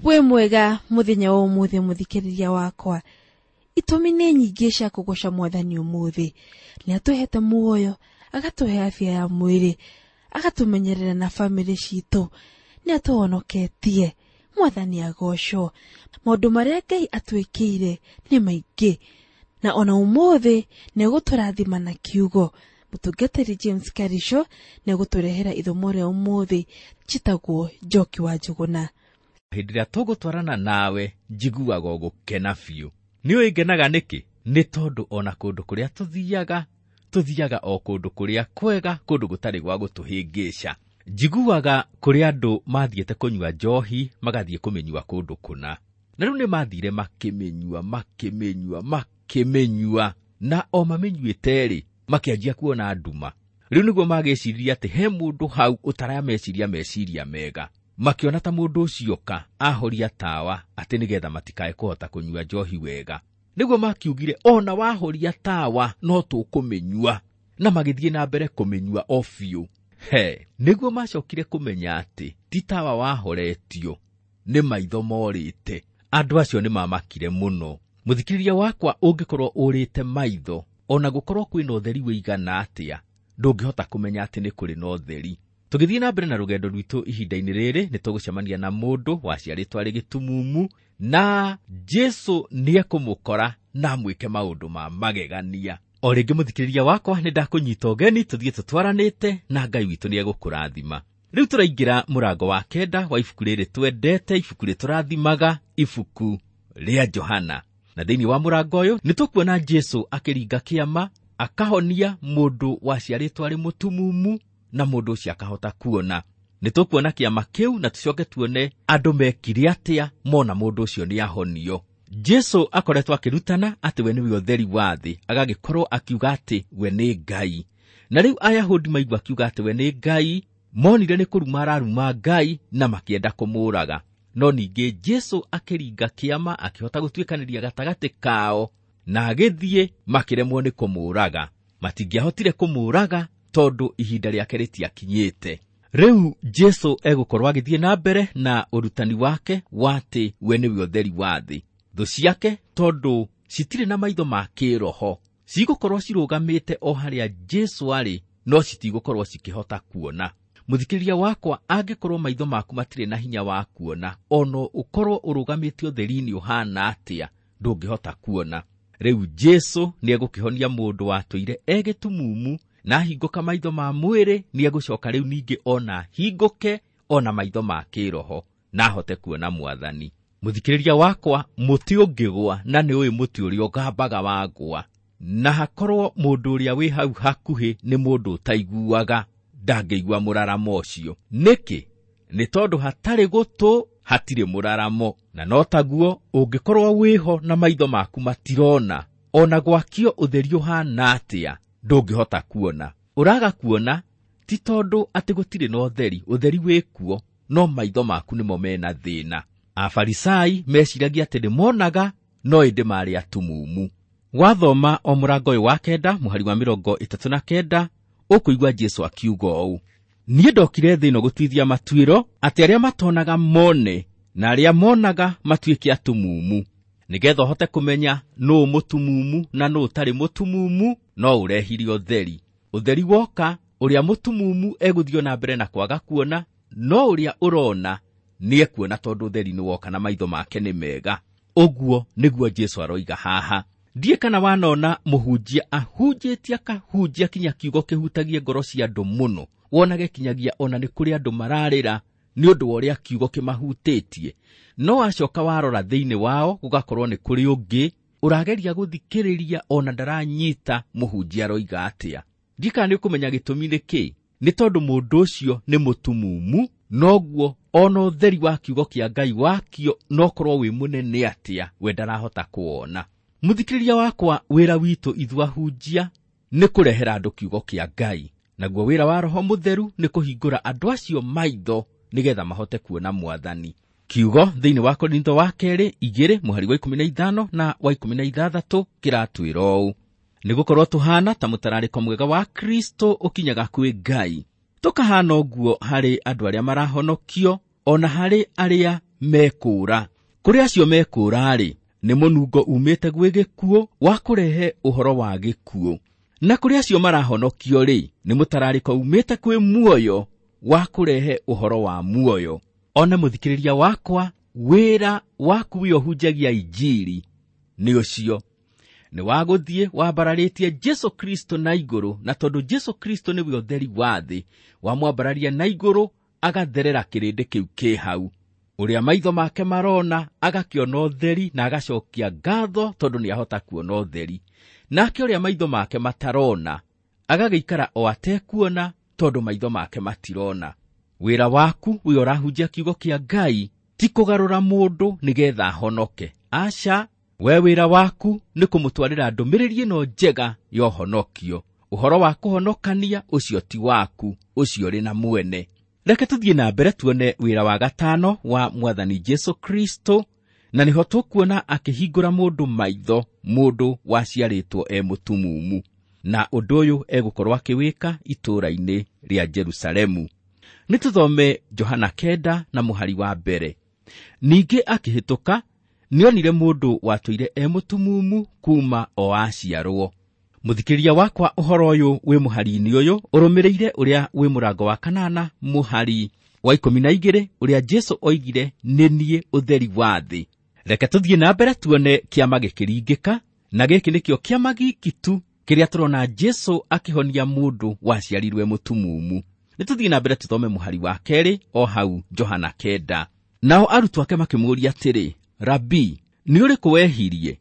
Wĩ mwega mũthenya wa ũmũthĩ mũthikĩrĩria wakwa. Itũmi nĩ nyingĩ cia kũgoca mwathani ũmũthĩ. Nĩ atũhete muoyo, agatũhe afya ya mwĩrĩ, agatũmenyerera na bamĩrĩ citũ, nĩ atũhonoketie. Mwathani agocwo. Maũndũ marĩa Ngai atwĩkĩire nĩ maingĩ, na ona ũmũthĩ nĩ egũtũrathima na kiugo. Mũtungatĩri James Karisho nĩ egũtũrehera ithomo rĩa ũmũthĩ njĩtagwo Njoki wa Njũgũna. Hĩndĩ ĩrĩa tũgũtwarana nawe njiguaga gũkena biũ. Nĩ ũĩ ngenaga nĩkĩ? Nĩ tondũ ona kũndũ kũrĩa tũthiaga, tũthiaga o kũndũ kũrĩa kwega, kũndũ gũtarĩ gwa gũtũhĩngĩca. Njiguaga kũrĩ andũ mathiĩte kũnyua njohi, magathiĩ kũmĩnyua kũndũ kũna. Na rĩu nĩ mathire makĩmĩnyua, makĩmĩnyua, makĩmĩnyua, na o mamĩnyuĩte-rĩ, makĩanjia kuona nduma. Rĩu nĩguo magĩciria atĩ he mũndũ hau ũtarameciria meciria mega. Makĩona ta mũndũ ũcio ka ahoria tawa atĩ nĩgetha matikae kũhota kũnyua njohi wega. Nĩguo makiugire ona wahoria tawa no tũkũmĩnyua, na magĩthiĩ na mbere kũmĩnyua o biũ. He, nĩguo macokire kũmenya atĩ ti tawa wahoretio, nĩ maitho morĩte. Andũ acio nĩ mamakire mũno. Mũthikĩrĩria wakwa, ũngĩkorwo ũrĩte maitho, ona gũkorwo kwĩna ũtheri wĩigana atĩa, ndũngĩhota kũmenya atĩ nĩ kũrĩ na ũtheri. Tũgĩthiĩ na mbere na rũgendo rwitũ ihinda-inĩ rĩrĩ, nĩ tũgũcemania na mũndũ waciarĩtwo arĩ gĩtumumu, na Jesũ nĩekũmũkora na amwĩke maũndũ ma magegania. O rĩngĩ mũthikĩrĩria wakwa, nĩ ndakũnyita ũgeni tũthiĩ tũtwaranĩte na Ngai witũ nĩegũkũrathima. Rĩu tũraingĩra mũrango wa 9 wa ibuku rĩrĩ twendete, ibuku rĩtũrathimaga, ibuku rĩa Johana. Na thĩinĩ wa mũrango ũyũ nĩ tũkuona Jesũ akĩringa kĩama, akahonia mũndũ waciarĩtwo arĩ mũtumumu, na mũndũ ũcio akahota kuona. Nĩ tũkuona kĩama kĩu na tũcoke tuone andũ mekire atĩa mona mũndũ ũcio nĩ ahonio. Jesũ akoretwo akĩrutana atĩ we nĩwe ũtheri wa thĩ, agagĩkorwo akiuga atĩ we nĩ Ngai. Na rĩu Ayahudi maigua akiuga atĩ we nĩ Ngai, monire nĩ kũruma araruma Ngai na makĩenda kũmũũraga. No ningĩ Jesũ akĩringa kĩama, akĩhota gũtuĩkanĩria gatagatĩ kao, na agĩthiĩ makĩremwo nĩ kũmũũraga. Matingĩahotire kũmũũraga tondũ ihinda rĩake rĩtiakinyĩte. Rĩu Jesũ egũkorwo agĩthiĩ na mbere na ũrutani wake wa atĩ we nĩwe ũtheri wa thĩ. Thũ ciake tondũ citirĩ na maitho ma kĩroho, cigũkorwo cirũgamĩte o harĩa Jesũ arĩ, no citigũkorwo cikĩhota kuona. Mũthikĩrĩria wakwa, angĩkorwo maitho maku matirĩ na hinya wa kuona, ona ũkorwo ũrũgamĩte ũtheri-inĩ ũhana atĩa, ndũngĩhota kuona. Rĩu Jesũ nĩegũkĩhonia mũndũ watũire e gĩtumumu, na ahingũka maitho ma mwĩrĩ, nĩegũcoka rĩu ningĩ ona ahingũke ona maitho ma kĩroho, na ahote kuona Mwathani. Mũthikĩrĩria wakwa, mũtĩ ũngĩgwa, na nĩ ũĩ mũtĩ ũrĩa ũgambaga wagwa, na hakorwo mũndũ ũrĩa wĩ hau hakuhĩ nĩ mũndũ ũtaiguaga, ndangĩigua mũraramo ũcio. Nĩkĩ? Nĩ tondũ hatarĩ gũtũ hatirĩ mũraramo. Na no taguo ũngĩkorwo wĩho na maitho maku matirona, ona gwakio ũtheri ũhana atĩa, ndũngĩhota kuona. Ũraga kuona ti tondũ atĩ gũtirĩ na ũtheri, ũtheri wĩkuo, no maitho maku nĩmo mena thĩna. Afarisai meciragia atĩ nĩmonaga, no ĩndĩ marĩ atumumu. Wathoma o mũrango ũyũ wa 9 mũhari wa 39, ũkũigua Jesũ akiuga ũũ: Niĩ ndokire thĩ ĩno gũtuithia matuĩro, atĩ arĩa matonaga mone, na arĩa monaga matuĩke atumumu. Nĩgetha ũhote kũmenya nũũ mũtumumu na nũũ ũtarĩ mũtumumu, no ũrehire ũtheri. Ũtheri woka, ũrĩa mũtumumu egũthiĩ na mbere na kwaga kuona, no ũrĩa ũrona nĩekuona tondũ ũtheri nĩ woka na maitho make nĩ mega. Ũguo nĩguo Jesũ aroiga haha. Ndiĩ kana wanona mũhunjia ahunjĩtie akahunjia kinya kiugo kĩhutagie ngoro cia andũ mũno, wonage kinyagia ona nĩ kũrĩ andũ mararĩra nĩ ũndũ wa ũrĩa kiugo kĩmahutĩtie. No acoka warora thĩinĩ wao gũgakorwo nĩ kũrĩ ũngĩ ũrageria gũthikĩrĩria ona ndaranyita mũhunjia aroiga atĩa. Ndiĩ kana nĩ ũkũmenya gĩtũmi nĩ kĩ? Nĩ tondũ mũndũ ũcio nĩ mũtumumu, noguo ona ũtheri wa kiugo kĩa Ngai wakio no korwo wĩ mũnene atĩa, we ndarahota kuona. Mũthikĩrĩria wakwa, wĩra witũ ithuĩ ahunjia nĩ kũrehera andũ kiugo kĩa Ngai, naguo wĩra wa Roho Mũtheru nĩ kũhingũra andũ acio maitho nĩgetha mahote kuona Mwathani. Kiugo thĩinĩ wa Korintho wa 2 2 mũhari wa 15 na wa 16 kĩratwĩra ũũ: Nĩgũkorwo tũhana ta mũtararĩko mwega wa Kristo ũkinyaga kwĩ Ngai, tũkahana ũguo harĩ andũ arĩa marahonokio, ona harĩ arĩa mekũũra. Kũrĩ acio mekũũra-rĩ, nĩ mũnungo umĩte gwĩ gĩkuũ wa kũrehe ũhoro wa gĩkuũ, na kũrĩ acio marahonokio-rĩ, nĩ mũtararĩko umĩte kwĩ muoyo wa kũrehe ũhoro wa muoyo. Ona mũthikĩrĩria wakwa, wĩra waku wĩ ũhunjagia injiri nĩ ũcio, nĩ wa gũthiĩ wambararĩtie Jesu Kristo na igũrũ, na tondũ Jesu Kristo nĩwe ũtheri wa thĩ, wamwambararia na igũrũ agatherera kĩrĩndĩ kĩu kĩ hau. Ũrĩa maitho make marona agakĩona ũtheri na agacokia ngatho tondũ nĩahota kuona ũtheri, nake ũrĩa maitho make matarona agagĩikara o atekuona tondũ maitho make matirona. Wĩra waku wĩ ũrahunjia kiugo kĩa Ngai ti kũgarũra mũndũ nĩgetha ahonoke, aca. We wĩra waku nĩ kũmũtwarĩra ndũmĩrĩri ĩno njega ya ũhonokio. Ũhoro wa kũhonokania ũcio ti waku, ũcio ũrĩ na mwene. Reke tũthiĩ na mbere tuone wĩra wa gatano wa Mwathani Jesu Kristo, na nĩho tũkuona akĩhingũra mũndũ maitho, mũndũ waciarĩtwo e mũtumumu, na ũndũ ũyũ egũkorwo akĩwĩka itũũra-inĩ rĩa Jerusalemu. Nĩ tũthome Johana 9 na mũhari wa 1. Ningĩ akĩhĩtũka nĩonire mũndũ watũire e mũtumumu kuma o aciarwo. Mũthikĩrĩria wakwa, ũhoro ũyũ wĩ mũhari-inĩ ũyũ ũrũmĩrĩire ũrĩa wĩ mũrango wa 8 mũhari wa 12 ũrĩa Jesu oigire, nĩ niĩ ũtheri wa thĩ. Reke tũthiĩ na mbere tuone kĩama gĩkĩringĩka, na gĩkĩ nĩkĩo kĩama giki tu kĩrĩa tũrona Jesu akĩhonia mũndũ waciarirwe mũtumumu. Nĩ tũthiĩ na mbere tũthome mũhari wa 2 o hau Johana 9. Nao arutwo ake makĩmũũria atĩrĩ, Rabi, nĩ ũrĩkũ wehirie,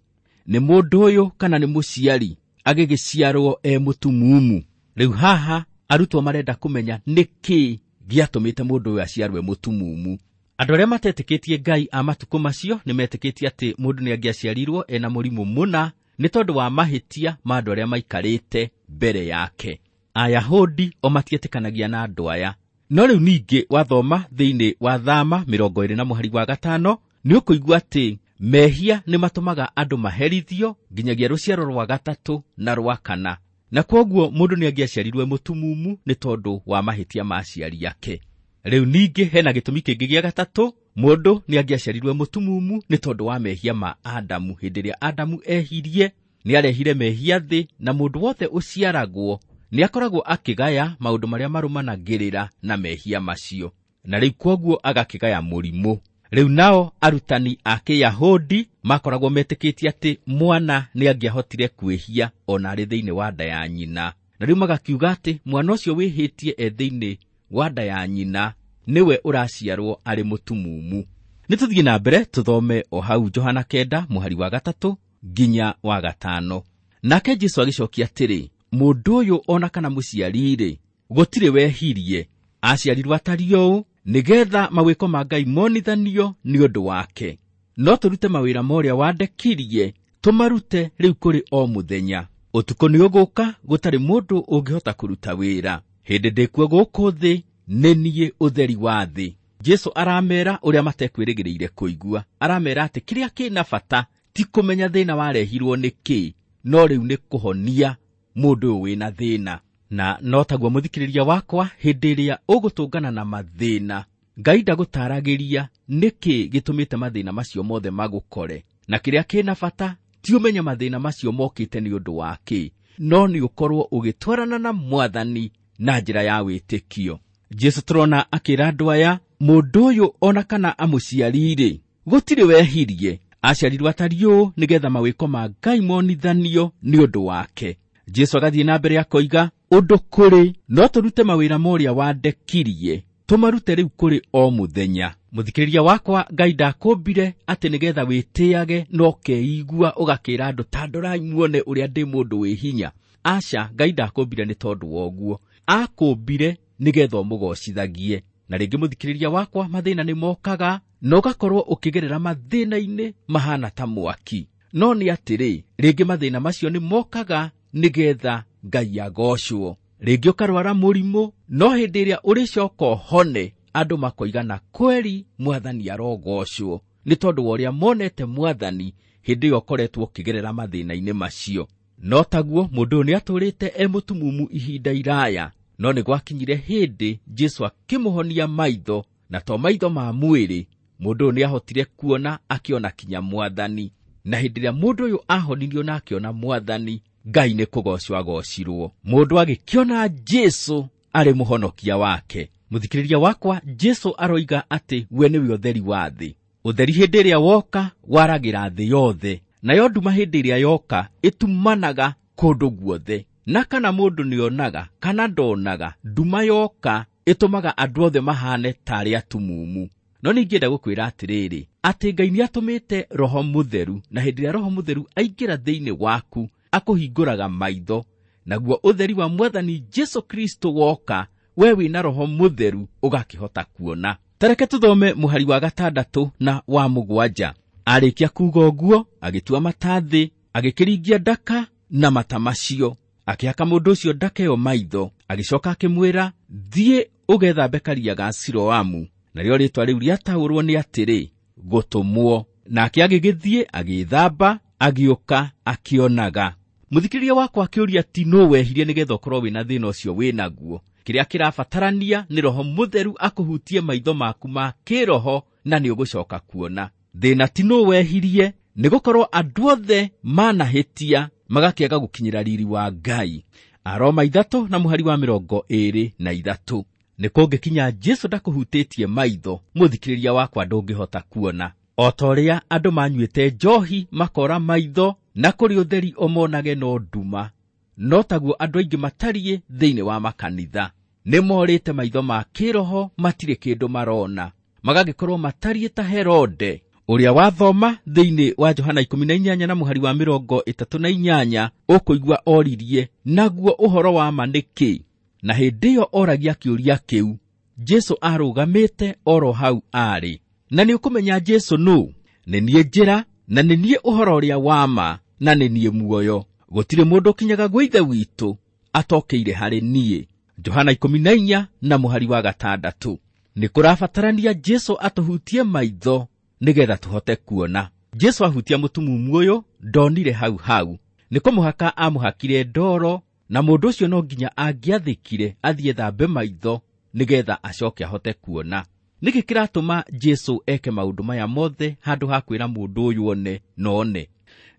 nĩ mũndũ ũyũ kana nĩ mũciari agĩgĩciarwo e mũtumumu? Rĩu haha arutwo marenda kũmenya nĩkĩ gĩatũmĩte mũndũ ũyũ aciarwe mũtumumu. Andũ arĩa matetĩkĩtie Ngai a matukũ macio nĩmetĩkĩtie atĩ mũndũ nĩangĩaciarirwo ena mũrimũ mũna nĩ tondũ wa mahĩtia ma andũ arĩa maikarĩte mbere yake. Ayahudi o matietĩkanagia na andũ aya. No rĩu ningĩ wathoma thĩinĩ wa Thama 20 na mũhari wa 5 nĩ ũkũigua atĩ mehia nĩ matũmaga andũ maherithio nginyagia rũciaro rwa 3 na rwa 4, na kwoguo mũndũ nĩangĩaciarirwe mũtumumu nĩ tondũ wa mahĩtia ma aciari ake. Rĩu ningĩ hena gĩtũmi kĩngĩ gĩa 3, mũndũ nĩangĩaciarirwe mũtumumu nĩ tondũ wa mehia ma Adamu. Hĩndĩ ĩrĩa Adamu ehirie nĩarehire mehia thĩ, na mũndũ wothe ũciaragwo nĩakoragwo akĩgaya maũndũ marĩa marũmanagĩrĩra na mehia macio, na rĩu kwoguo agakĩgaya mũrimũ. Rĩu nao arutani a Kĩyahudi makoragwo metĩkĩtie atĩ mwana nĩangĩahotire kwĩhia ona arĩ thĩinĩ wa nda ya nyina, na rĩu magakiuga atĩ mwana ũcio wĩhĩtie e thĩinĩ wa nda ya nyina nĩwe ũraciarwo arĩ mũtumumu. Nĩ tũthiĩ na mbere tũthome o hau Johana 9 mũhari wa 3 nginya wa 5. Nake Jesu agĩcokia atĩrĩ, mũndũ ũyũ ona kana mũciari-rĩ, gũtirĩ wehirie, aciarirwo atariĩ ũũ nĩgetha mawĩko ma Ngai monithanio nĩ ũndũ wake. No tũrute mawĩra ma ũrĩa wandekirie, tũmarute rĩu kũrĩ o mũthenya. Ũtukũ nĩ ũgũka gũtarĩ mũndũ ũngĩhota kũruta wĩra. Hĩndĩ ndĩkuo gũkũ thĩ, nĩ niĩ ũtheri wa thĩ. Jesu aramera ũrĩa matekwĩrĩgĩrĩire kũigua. Aramera atĩ kĩrĩa kĩna bata ti kũmenya thĩna warehirwo nĩ kĩ, no rĩu nĩ kũhonia mũndũ ũyũ wĩna thĩna. Na no taguo mũthikĩrĩria wakwa, hĩndĩ ĩrĩa ũgũtũngana na mathĩna, Ngai ndagũtaragĩria nĩkĩ gĩtũmĩte mathĩna macio mothe magũkore, na kĩrĩa kĩna bata ti ũmenye mathĩna macio mokĩte nĩ ũndũ wa kĩ, no nĩ ũkorwo ũgĩtwarana na Mwathani na njĩra ya wĩtĩkio. Jesu tũrona akĩra andũ aya, mũndũ ũyũ ona kana amũciari-rĩ, gũtirĩ wehirie, aciarirwo atariĩ ũũ nĩgetha mawĩko ma Ngai monithanio nĩ ũndũ wake. Jesu agathiĩ na mbere akoiga, ũndũ kũrĩ no tũrute mawĩra ma ũrĩa wandekirie, tũmarute rĩu kũrĩ o mũthenya. Mũthikĩrĩria wakwa, Ngai ndakũmbire atĩ nĩgetha wĩtĩage na ũkeigua ũgakĩra andũ ta ndorai muone ũrĩa ndĩ mũndũ wĩ hinya. Aca, Ngai ndakũmbire nĩ tondũ wa ũguo, akũmbire nĩgetha ũmũgocithagie. Na rĩngĩ mũthikĩrĩria wakwa, mathĩna nĩ mokaga na ũgakorwo ũkĩgerera mathĩna-inĩ mahana ta mwaki. No nĩ atĩrĩ, rĩngĩ mathĩna macio nĩ mokaga nĩgetha Ngai agocwo. Rĩngĩ ũkarwara mũrimũ, no hĩndĩ ĩrĩa ũrĩcoka ũhone, andũ makoiga na kweri Mwathani arogocwo, nĩ tondũ wa ũrĩa monete Mwathani hĩndĩ ĩyo ũkoretwo ũkĩgerera mathĩna-inĩ macio. No taguo mũndũ ũyũ nĩatũrĩte e mũtumumu ihinda iraya, no nĩ gwakinyire hĩndĩ Jesu akĩmũhonia maitho, na to maitho ma mwĩrĩ, Mũndũ ũyũ nĩahotire kuona akĩona kinya mwathani. Na hĩndĩ ĩrĩa mũndũ ũyũ ahonirio na akĩona mwathani, Ngai nĩ kũgocwo agocirwo. Mũndũ agĩkĩona Jesũ arĩ mũhonokia wake. Mũthikĩrĩria wakwa, Jesũ aroiga atĩ we nĩwe ũtheri wa thĩ. Ũtheri hĩndĩ ĩrĩa woka waragĩra thĩ yothe, nayo nduma hĩndĩ ĩrĩa yoka ĩtumanaga kũndũ guothe. Na kana mũndũ nĩonaga kana ndonaga, nduma yoka ĩtũmaga andũ othe mahane tarĩ atumumu. No ningĩenda gũkwĩra atĩrĩrĩ, atĩ Ngai nĩatũmĩte Roho Mũtheru, na hĩndĩ ĩrĩa Roho Mũtheru aingĩra thĩinĩ waku akũhingũraga maitho, naguo ũtheri wa Mwathani Jesũ Kristo woka, we wĩna Roho Mũtheru ũgakĩhota kuona. Tareke tũthome mũhari wa 6 na wa 7. Arĩkia kuuga ũguo, agĩtua mata thĩ, agĩkĩringia ndaka na mata macio, akĩhaka mũndũ ũcio ndaka ĩyo maitho, agĩcoka akĩmwĩra, thiĩ ũgethambe karia ga Siloamu. Narĩo rĩĩtwa rĩu rĩataũrwo nĩ atĩrĩ, gũtũmwo. Nake agĩgĩthiĩ agĩĩthamba, agĩũka akĩonaga. Mũthikĩrĩria wakwa akĩũria ti nũ wehirie nĩgetha ũkorwo wĩna thĩna ũcio wĩnaguo. Kĩrĩa kĩrabatarania nĩ Roho Mũtheru akũhutie maitho maku ma kĩroho na nĩũgũcoka kuona. Thĩna ti nũ wehirie, nĩgũkorwo andũ othe manahĩtia magakĩaga gũkinyĩra riri wa Ngai. Aroma 3 na mũhari wa 23. Nĩ kũngĩkinya Jesũ ndakũhutĩtie maitho, mũthikĩrĩria wakwa ndũngĩhota kuona. O ta ũrĩa andũ manyuĩte njohi makora maitho na kũrĩ ũtheri ũmonage no nduma, no taguo andũ aingĩ matariĩ thĩinĩ wa makanitha. Nĩmorĩte maitho ma kĩroho, matirĩ kĩndũ marona, magagĩkorwo matariĩ ta Herode ũrĩa wathoma thĩinĩ wa Johana 18 na mũhari wa 38, ũkũigua oririe, naguo ũhoro wa ma nĩ kĩ? Na hĩndĩ ĩyo oragia kĩũria kĩu, Jesũ arũgamĩte oro hau arĩ. Na nĩũkũmenya Jesũ nũ? Nĩ niĩ njĩra, na nĩ niĩ ũhoro ũrĩa wa ma, na nĩ niĩ muoyo. Gũtirĩ mũndũ ũkinyaga gwĩ Ithe witũ atokĩire harĩ niĩ. Johana 14 na mũhari wa 6. Nĩ kũrabatarania Jesũ atũhutie maitho nĩgetha tũhote kuona. Jesũ ahutia mũtumumu ũyũ ndonire hau hau. Nĩ kũmũhaka amũhakire ndoro, na mũndũ ũcio no nginya angĩathĩkire athiĩ thambe maitho nĩgetha acoke ahote kuona. Nĩkĩ kĩratũma Jesũ eke maũndũ maya mothe handũ ha kwĩra mũndũ ũyũ one na one?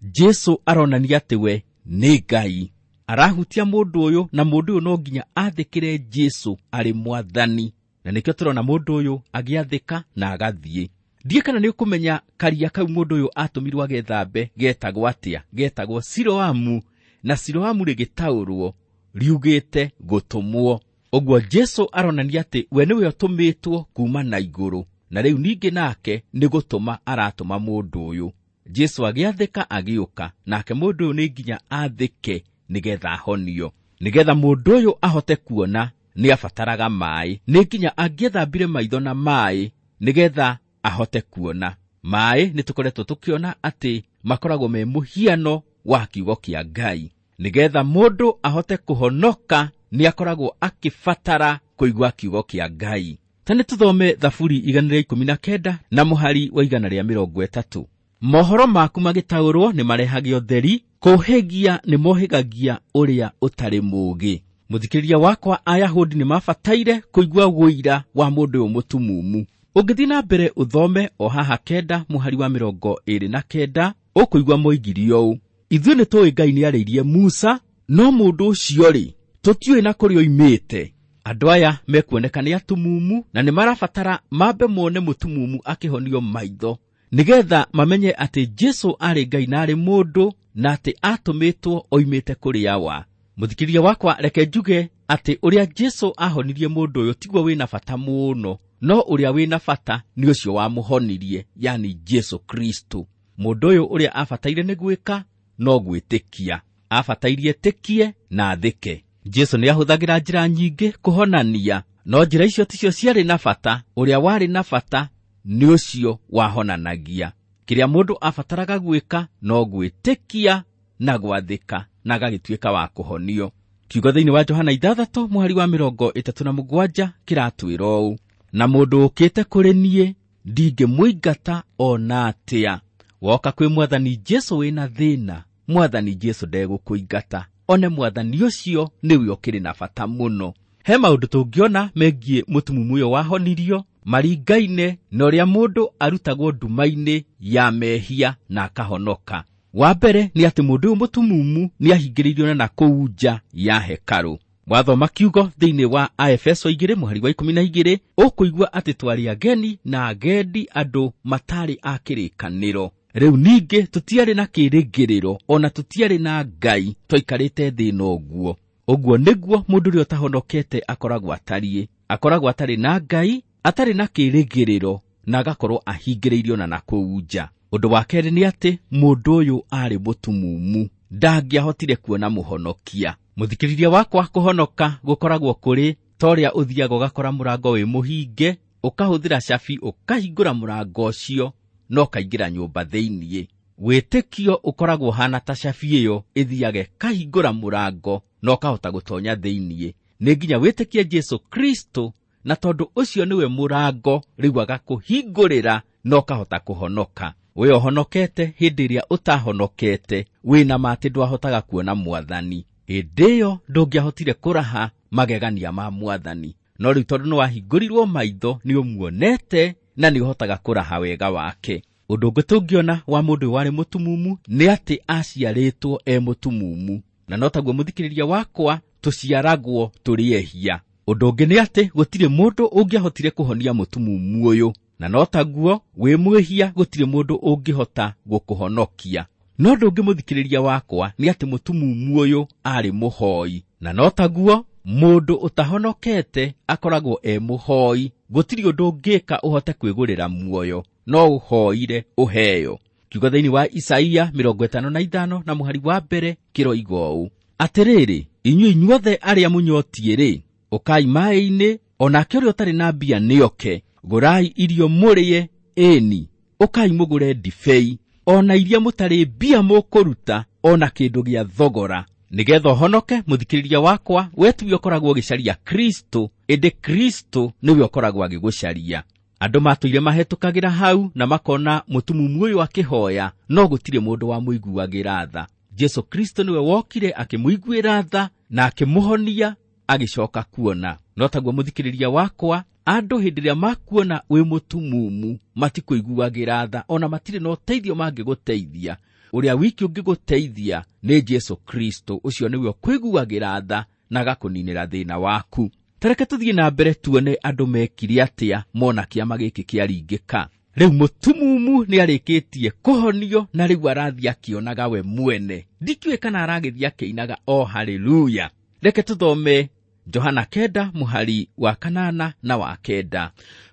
Jesũ aronania atĩ we nĩ Ngai. Arahutia mũndũ ũyũ, na mũndũ ũyũ no nginya athĩkĩre Jesũ arĩ mwathani. Na nĩkĩo tũrona mũndũ ũyũ agĩathĩka na agathiĩ. Ndiĩ kana nĩũkũmenya karia kau mũndũ ũyũ atũmirwo agethambe getagwo atĩa? Getagwo Siloamu, na Siloamu rĩgĩtaũrwo riugĩte gũtũmwo. Ũguo Jesũ aronania atĩ we nĩwe ũtũmĩtwo kuma na igũrũ, na rĩu ningĩ nake nĩ gũtũma aratũma mũndũ ũyũ. Jesũ agĩathĩka agĩũka, nake mũndũ ũyũ nĩ nginya athĩke nĩgetha ahonio. Nĩgetha mũndũ ũyũ ahote kuona nĩabataraga maĩ, nĩ nginya angĩethambire maitho na maĩ nĩgetha ahote kuona. Maĩ nĩ tũkoretwo tũkĩona atĩ makoragwo me mũhiano wa kiugo kĩa Ngai. Nĩgetha mũndũ ahote kũhonoka nĩakoragwo akĩbatara kũigua kiugo kĩa Ngai. Ta nĩ tũthome Thaburi 119 na mũhari wa 130. Mohoro maku magĩtaũrwo nĩ marehage ũtheri, kũhĩgia nĩ mohĩgagia ũrĩa ũtarĩ mũũgĩ. Mũthikĩrĩria wakwa, Ayahudi nĩ mabataire kũigua ũira wa mũndũ ũyũ mũtumumu. Ũngĩthiĩ na mbere ũthome o haha 9 mũhari wa 29, ũkũigua moigire ũũ: ithuĩ nĩ tũĩ Ngai nĩarĩirie Musa, no mũndũ ũcio rĩ, tũtiũĩ na kũrĩa oimĩte. Andũ aya mekuoneka nĩ atumumu na nĩ marabatara mambe mone mũtumumu akĩhonio maitho nĩgetha mamenye atĩ Jesũ arĩ Ngai na arĩ mũndũ, na atĩ atũmĩtwo oimĩte kũrĩ Awa. Mũthikĩrĩria wakwa, reke njuge atĩ ũrĩa Jesũ ahonirie mũndũ ũyũ tiguo wĩna bata mũno, no ũrĩa wĩna bata nĩ ũcio wamũhonirie, yani Jesũ Kristo. Mũndũ ũyũ ũrĩa abataire nĩ gwĩka no gwĩtĩkia, abatairie etĩkie na athĩke. Jesũ nĩahũthagĩra njĩra nyingĩ kũhonania, no njĩra icio ticio ciarĩ na bata. Ũrĩa warĩ na bata nĩ ũcio wahonanagia. Kĩrĩa mũndũ abataraga gwĩka no gwĩtĩkia na gwathĩka, na agagĩtuĩka wa kũhonio. Kiugo thĩinĩ wa Johana 6 mũhari wa 37 kĩratwĩra ũũ: na mũndũ ũkĩte kũrĩ niĩ ndingĩmũingata ona atĩa. Woka kwĩ Mwathani Jesũ wĩna thĩna, Mwathani Jesũ ndegũkũingata. One Mwathani ũcio nĩwe ũkĩrĩ na bata mũno. He maũndũ tũngĩona megiĩ mũtumumu ũyũ wahonirio. Maringaine na ũrĩa mũndũ arutagwo nduma-inĩ ya mehia na akahonoka. Wa mbere nĩ atĩ mũndũ ũyũ mũtumumu nĩ ahingĩrĩirio na kũu nja ya hekarũ. Wathoma kiugo thĩinĩ wa Aefeso 2 mũhari wa 12 ũkũigua atĩ twarĩ ageni na agendi, andũ matarĩ a kĩrĩkanĩro. Rĩu ningĩ tũtiarĩ na kĩĩrĩgĩrĩro ona tũtiarĩ na Ngai, twaikarĩte thĩ ĩno ũguo. Ũguo nĩguo mũndũ ũrĩa ũtahonokete akoragwo atariĩ. Akoragwo atarĩ na Ngai, atarĩ na kĩĩrĩgĩrĩro na agakorwo ahingĩrĩirio na nakũu nja. Ũndũ wa kerĩ nĩ atĩ mũndũ ũyũ arĩ mũtumumu, ndangĩahotire kuona mũhonokia. Mũthikĩrĩria wakwa, kũhonoka gũkoragwo kũrĩ ta ũrĩa ũthiaga ũgakora mũrango wĩ mũhinge, ũkahũthĩra cabi ũkahingũra mũrango ũcio na ũkaingĩra nyũmba thĩiniĩ. Wĩtĩkio ũkoragwo ũhana ta cabi ĩyo ĩthiaga ĩkahingũra mũrango na ũkahota gũtonya thĩiniĩ. Nĩ nginya wĩtĩkie Jesũ Kristo, na tondũ ũcio nĩwe mũrango, rĩu agakũhingũrĩra na ũkahota kũhonoka. We ũhonokete hĩndĩ ĩrĩa ũtahonokete, wĩna ma atĩ ndwahotaga kuona mwathani. Hĩndĩ ĩyo ndũngĩahotire kũraha magegania ma mwathani. No rĩu tondũ nĩwahingũrirwo maitho, nĩũmuonete na nĩũhotaga kũraha wega wake. Ũndũ ũngĩ tũngĩona wa mũndũ ũyũ warĩ mũtumumu nĩ atĩ aciarĩtwo e mũtumumu, na no taguo mũthikĩrĩria wakwa tũciaragwo tũrĩ ehia. Ũndũ ũngĩ nĩ atĩ gũtirĩ mũndũ ũngĩahotire kũhonia mũtumumu ũyũ, na no taguo wĩ mwĩhia gũtirĩ mũndũ ũngĩhota gũkũhonokia. No ũndũ ũngĩ mũthikĩrĩria wakwa nĩ atĩ mũtumumu ũyũ arĩ mũhoi, na no taguo mũndũ ũtahonokete akoragwo e mũhoi. Gũtirĩ ũndũ ũngĩka ũhote kwĩgũrĩra muoyo, no ũhoire ũheo. Kiugo thĩinĩ wa Isaia 55 na mũhari wa mbere kĩroiga ũũ: atĩrĩrĩ, inyuĩ inyuothe arĩa mũnyotiĩ-rĩ, ũkai maĩ-inĩ, o nake ũrĩa ũtarĩ na mbia nĩoke, gũrai irio mũrĩe, ĩni, ũkai mũgũre ndibei, ona iria mũtarĩ mbia mũkũruta, ona kĩndũ gĩa thogora. Nĩgetha ũhonoke, mũthikĩrĩria wakwa, we tiwe ũkoragwo ũgĩcaria Kristo, ĩndĩ Kristo nĩwe ũkoragwo agĩgũcaria. Andũ matũire mahetũkagĩra hau na makona mũtumumu ũyũ akĩhoya, no gũtirĩ mũndũ wamũiguagĩra tha. Jesũ Kristo nĩwe wokire akĩmũiguĩra tha na akĩmũhonia, agĩcoka kuona. No taguo mũthikĩrĩria wakwa, andũ hĩndĩ ĩrĩa makuona wĩ mũtumumu matikũiguagĩra tha, ona matirĩ na ũteithio mangĩgũteithia. Ũrĩa wiki ũngĩgũteithia nĩ Jesũ Kristo, ũcio nĩwe ũkũiguagĩra tha na agakũninĩra thĩna waku. Tareke tũthiĩ na mbere tuone andũ mekire atĩa mona kĩama gĩkĩ kĩaringĩka. Rĩu mũtumumu nĩarĩkĩtie kũhonio na rĩu arathiĩ akĩonaga we mwene. Ndikĩũĩ kana aragĩthiĩ akĩinaga o haleluya. Reke tũthome Johana 9 mũhari wa 8 na wa 9.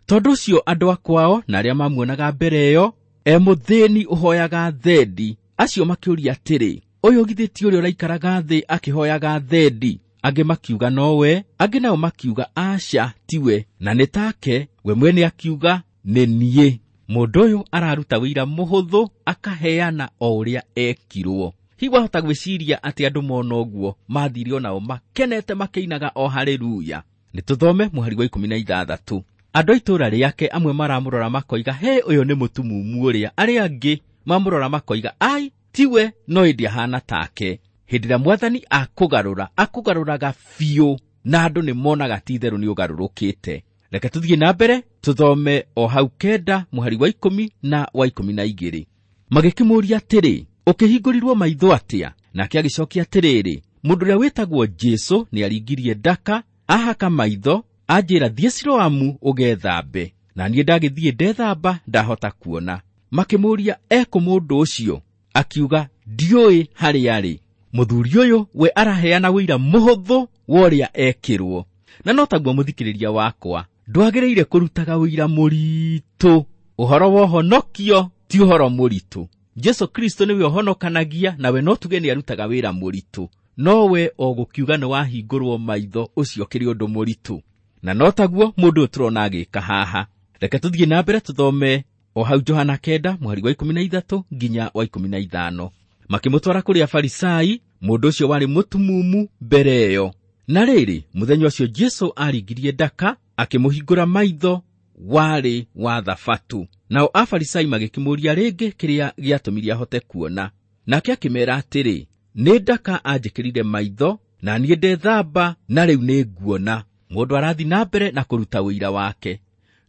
Tondũ ũcio andũ a kwao na arĩa mamuonaga mbere ĩyo e mũthĩni ũhoyaga thendi, acio makĩũria atĩrĩ, ũyũ githĩ ti ũrĩa ũraikaraga thĩ akĩhoyaga thendi? Angĩ makiuga nowe, angĩ nao makiuga aca tiwe, na nĩ take. We mwene akiuga nĩ niĩ. Mũndũ ũyũ araruta wĩira mũhũthũ, akaheana o ũrĩa ekirwo. Hihi wahota gwĩciria atĩ andũ mona ũguo mathire onao makenete makĩinaga o haleluya. Nĩ tũthome mũhari wa 16. Andũ a itũũra rĩake amwe maramũrora makoiga, he, ũyũ nĩ mũtumumu ũrĩa. Arĩa angĩ mamũrora makoiga, ai, tiwe, no ĩndĩ ahana take. Hĩndĩ ĩrĩa mwathani akũgarũra, akũgarũraga biũ, na andũ nĩ monaga ti itherũ nĩ ũgarũrũkĩte. Reke tũthiĩ na mbere tũthome o hau 9 mũhari wa 10 na wa 12. Magĩkĩmũũria atĩrĩ, ũkĩhingũrirwo maitho atĩa? Nake agĩcokia atĩrĩrĩ, mũndũ ũrĩa wĩtagwo Jesũ nĩaringirie ndaka, ahaka maitho, anjĩra thiĩ Siloamu ũgethambe. Na niĩ ndagĩthiĩ ndethamba, ndahota kuona. Makĩmũũria ekũ mũndũ ũcio? Akiuga ndiũĩ harĩa arĩ. Mũthuri ũyũ we araheana wĩira mũhũthũ wa ũrĩa ekĩrwo. Na no taguo mũthikĩrĩria wakwa, ndwagĩrĩire kũrutaga wĩira mũritũ. Ũhoro wa ũhonokio ti ũhoro mũritũ. Jesũ Kristo nĩwe ũhonokanagia, nawe no tuge nĩarutaga wĩra mũritũ. No we o gũkiuga nĩwahingũrwo maitho, ũcio ũkĩrĩ ũndũ mũritũ. Na no taguo mũndũ ũyũ tũrona agĩka haha. Reke tũthiĩ na mbere tũthome o hau Johana 9 mũhari wa 13 nginya wa 15. Makĩmũtwara kũrĩ Afarisai, mũndũ ũcio warĩ mũtumumu mbere ĩyo. Na rĩrĩ, mũthenya ũcio Jesũ aringirie ndaka, akĩmũhingũra maitho, warĩ wa Thabatũ. Nao Afarisai magĩkĩmũũria rĩngĩ kĩrĩa gĩatũmire ahote kuona. Nake akĩmeera atĩrĩ, nĩ ndaka anjĩkĩrire maitho, na niĩ ndethamba, na rĩu nĩ nguona. Mũndũ arathiĩ na mbere na kũruta ũira wake.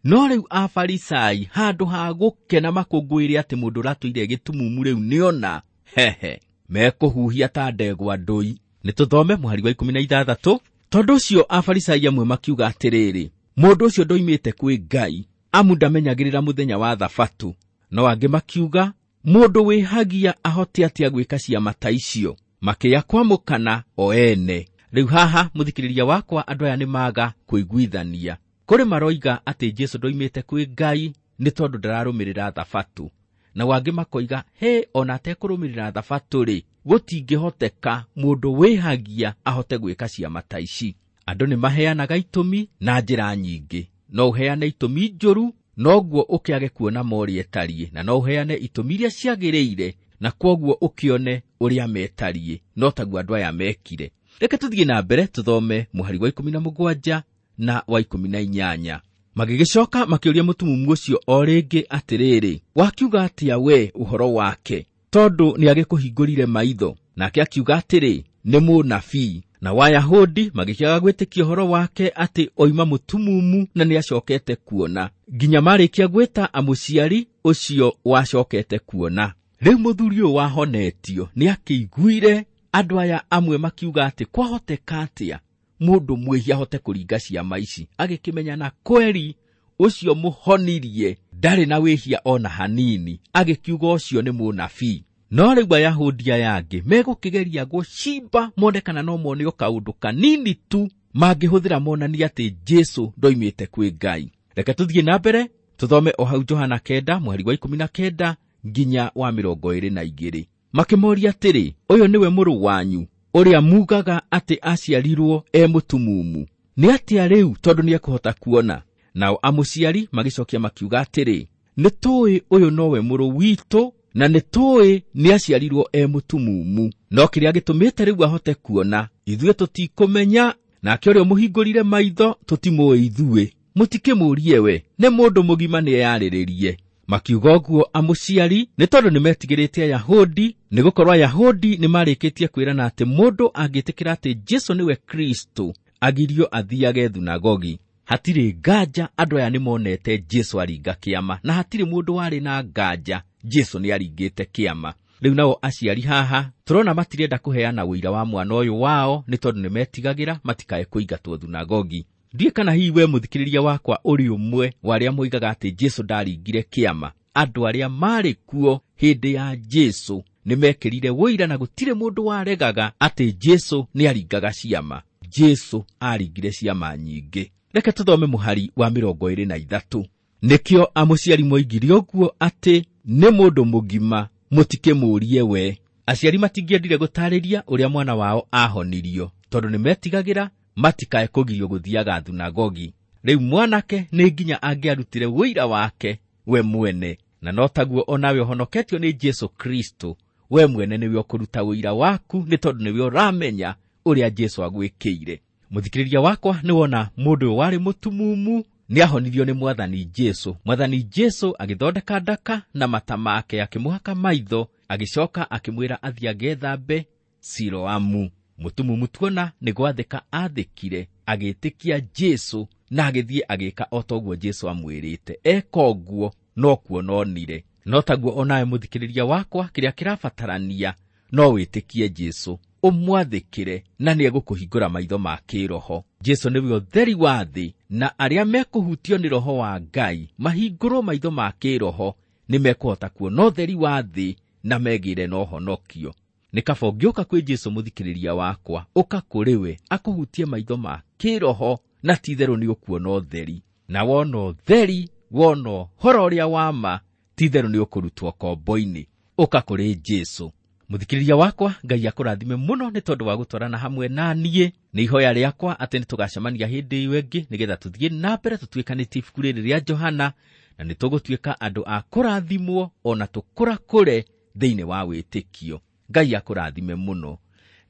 No rĩu Afarisai handũ ha gũkena makũngũĩre atĩ mũndũ ũratũire gĩtumumu rĩu nĩona, hehe, mekũhuhia ta ndegwa ndũi. Nĩ tũthome mũhari wa 16. Tondũ ũcio Afarisai amwe makiuga atĩrĩrĩ, mũndũ ũcio ndoimĩte kwĩ Ngai, amu ndamenyagĩrĩra mũthenya wa Thabatũ. No angĩ makiuga, mũndũ wĩhagia ahote atĩa gwĩka ciama ta icio? Makĩya kwamũkana o ene. Rĩu haha mũthikĩrĩria wakwa, andũ aya nĩ maga kũiguithania. Kũrĩ maroiga atĩ Jesũ ndoimĩte kwĩ Ngai nĩ tondũ ndararũmĩrĩra Thabatũ, na wangĩ makoiga he ona atekũrũmĩrĩra Thabatũ rĩ, gũtingĩhoteka mũndũ wĩhagia ahote gwĩka ciama ta ici. Andũ nĩ maheanaga itũmi na njĩra nyingĩ. No ũheane itũmi njũru noguo ũkĩage kuona morĩ ĩtariĩ, na no ũheane itũmi iria ciagĩrĩire na kwoguo ũkĩone ũrĩa metariĩ. No taguo andũ aya mekire. Reke tũthiĩ na mbere tũthome mũhari wa 17 na wa 18. Magĩgĩcoka makĩũria mũtumumu ũcio o rĩngĩ atĩrĩrĩ, wakiuga atĩa we ũhoro wake, tondũ nĩagĩkũhingũrire maitho? Nake akiuga atĩrĩ, nĩ mũnabii. Na Wayahudi magĩkĩaga gwĩtĩkia ũhoro wake atĩ oima mũtumumu na nĩacokete kuona, nginya marĩkia gwĩta amũciari ũcio wacokete kuona. Rĩu mũthuri ũyũ wahonetio nĩakĩiguire andũ aya amwe makiuga atĩ kwahoteka atĩa mũndũ mwĩhia ahote kũringa ciama ici, agĩkĩmenya na kweri ũcio mũhonirie ndarĩ na wĩhia ona hanini, agĩkiuga ũcio nĩ mũnabii. No rĩu Ayahudi aya angĩ megũkĩgeria gũcimba mone kana no mone o kaũndũ kanini tu mangĩhũthĩra monanie atĩ Jesũ ndoimĩte kwĩ Ngai. Reke tũthiĩ na mbere tũthome o hau Johana 9 mũhari wa 19 nginya wa 22. Makĩmoria atĩrĩ, ũyũ nĩwe mũrũ wanyu ũrĩa mugaga atĩ aciarirwo e mũtumumu? Nĩ atĩa rĩu tondũ nĩekũhota kuona? Nao amũciari magĩcokia makiuga atĩrĩ, nĩ tũĩ ũyũ nowe mũrũ witũ na nĩ tũĩ nĩaciarirwo e mũtumumu, no kĩrĩa gĩtũmĩte rĩu ahote kuona ithuĩ tũtikũmenya, nake ũrĩa ũmũhingũrire maitho tũtimũĩ ithuĩ. Mũtikĩmũrie we, nĩ mũndũ mũgima nĩeyarĩrĩrie. Makiuga ũguo amũciari nĩ tondũ nĩmetigĩrĩte Ayahudi, nĩgũkorwo Ayahudi nĩmarĩkĩtie kwĩrana atĩ mũndũ angĩtĩkĩra atĩ Jesũ nĩwe Kristũ agirio athiage thunagogi. Hatirĩ nganja andũ aya nĩmonete Jesũ aringa kĩama, na hatirĩ mũndũ warĩ na nganja Jesũ nĩaringĩte kĩama. Rĩu nao aciari haha tũrona matirenda kũheana ũira wa mwana ũyũ wao nĩ tondũ nĩmetigagĩra matikae kũingatwo thunagogi. Ndiũĩ kana hihi we mũthikĩrĩria wakwa ũrĩ ũmwe wa arĩa moigaga atĩ Jesũ ndaringire kĩama. Andũ arĩa marĩ kuo hĩndĩ ya Jesũ nĩmekĩrire ũira na gũtirĩ mũndũ waregaga atĩ Jesũ nĩaringaga ciama. Jesũ aringire ciama nyingĩ. Reke tũthome mũhari wa 23. Nĩkĩo amũciari moigire ũguo atĩ nĩ mũndũ mũgima, mũtikĩmũrie we. Aciari matingĩendire gũtarĩria ũrĩa mwana wao ahonirio tondũ nĩmetigagĩra matikae kũgirio gũthiaga thunagogi. Rĩu mwanake nĩ nginya angĩarutire ũira wake we mwene, na no taguo onawe ũhonoketio nĩ Jesũ Kristũ, we mwene nĩwe ũkũruta ũira waku nĩ tondũ nĩwe ũramenya ũrĩa Jesũ agwĩkĩire. Mũthikĩrĩria wakwa, nĩwona mũndũ ũyũ warĩ mũtumumu nĩahonirio nĩ Mwathani Jesũ. Mwathani Jesũ agĩthondeka ndaka na mata make, akĩmũhaka maitho, agĩcoka akĩmwĩra athiĩ agethambe Siloamu. Mũtumumu tuona nĩ gwathĩka athĩkire, agĩtĩkia Jesũ na agĩthiĩ agĩka o ta ũguo Jesũ amwĩrĩte. Eka ũguo no kuona onire. No taguo onawe mũthikĩrĩria wakwa, kĩrĩa kĩrabatarania no wĩtĩkie Jesũ, ũmwathĩkĩre na nĩegũkũhingũra maitho ma kĩroho. Jesũ nĩwe ũtheri wa thĩ, na arĩa mekũhutio nĩ roho wa Ngai mahingũrwo maitho ma kĩroho nĩmekũhota kuona ũtheri wa thĩ na megĩre na ũhonokio. Nĩ kaba ũngĩũka kwĩ Jesũ mũthikĩrĩria wakwa, ũka kũrĩ we akũhutie maitho ma kĩroho na ti-itherũ nĩũkuona ũtheri. Na wona ũtheri, wona ũhoro ũrĩa wa ma, ti-itherũ nĩũkũrutwo kombo-inĩ. Ũka kũrĩ Jesũ. Mũthikĩrĩria wakwa, Ngai akũrathime mũno nĩ tondũ wa gũtwarana hamwe na niĩ. Nĩ ihoya rĩakwa atĩ nĩtũgacemania hĩndĩ ĩyo ĩngĩ nĩgetha tũthiĩ na mbere tũtuĩkanĩtie ibuku rĩrĩ rĩa Johana, na nĩtũgũtuĩka andũ a kũrathimwo ona tũkũrakũre thĩinĩ wa wĩtĩkio. Ngai akũrathime mũno.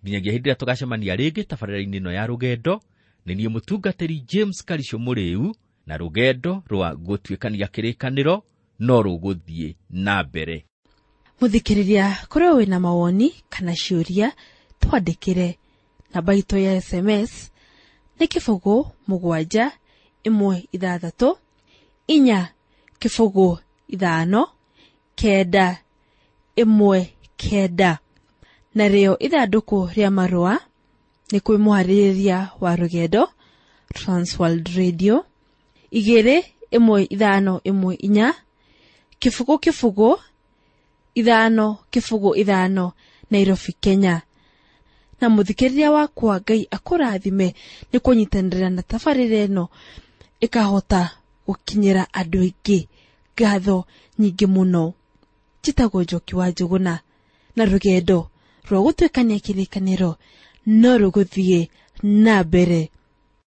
Nginyagia hĩndĩ ĩrĩa tũgacemania rĩngĩ tabarĩra-inĩ ĩno ya rũgendo, nĩ niĩ mũtungatĩri James Karisho Mũrĩu, na rũgendo rwa gũtuĩkania kĩrĩkanĩro no rũgũthiĩ na mbere. Mũthikĩrĩria, kũrĩ wĩna mawoni kana ciũria, twandĩkĩre. Namba itũ ya SMS nĩ 0 7 1 6 4 0 5 9 1 9. Narĩo ithandũkũ rĩa marũa nĩ kwĩ mũharĩrĩria wa rũgendo Transworld Radio 2 1 5 1 4 0 0 5 0 5 Nairobi, Kenya. Na mũthikĩrĩria wakwa, Ngai akũrathime nĩ kũnyitanĩra na tabarĩra ĩno ĩkahota gũkinyĩra andũ aingĩ. Ngatho nyingĩ mũno. Njĩtagwo Njoki wa Njũgũna, na rũgendo rwa gũtuĩkania kĩrĩkanĩro no rũgũthiĩ na mbere.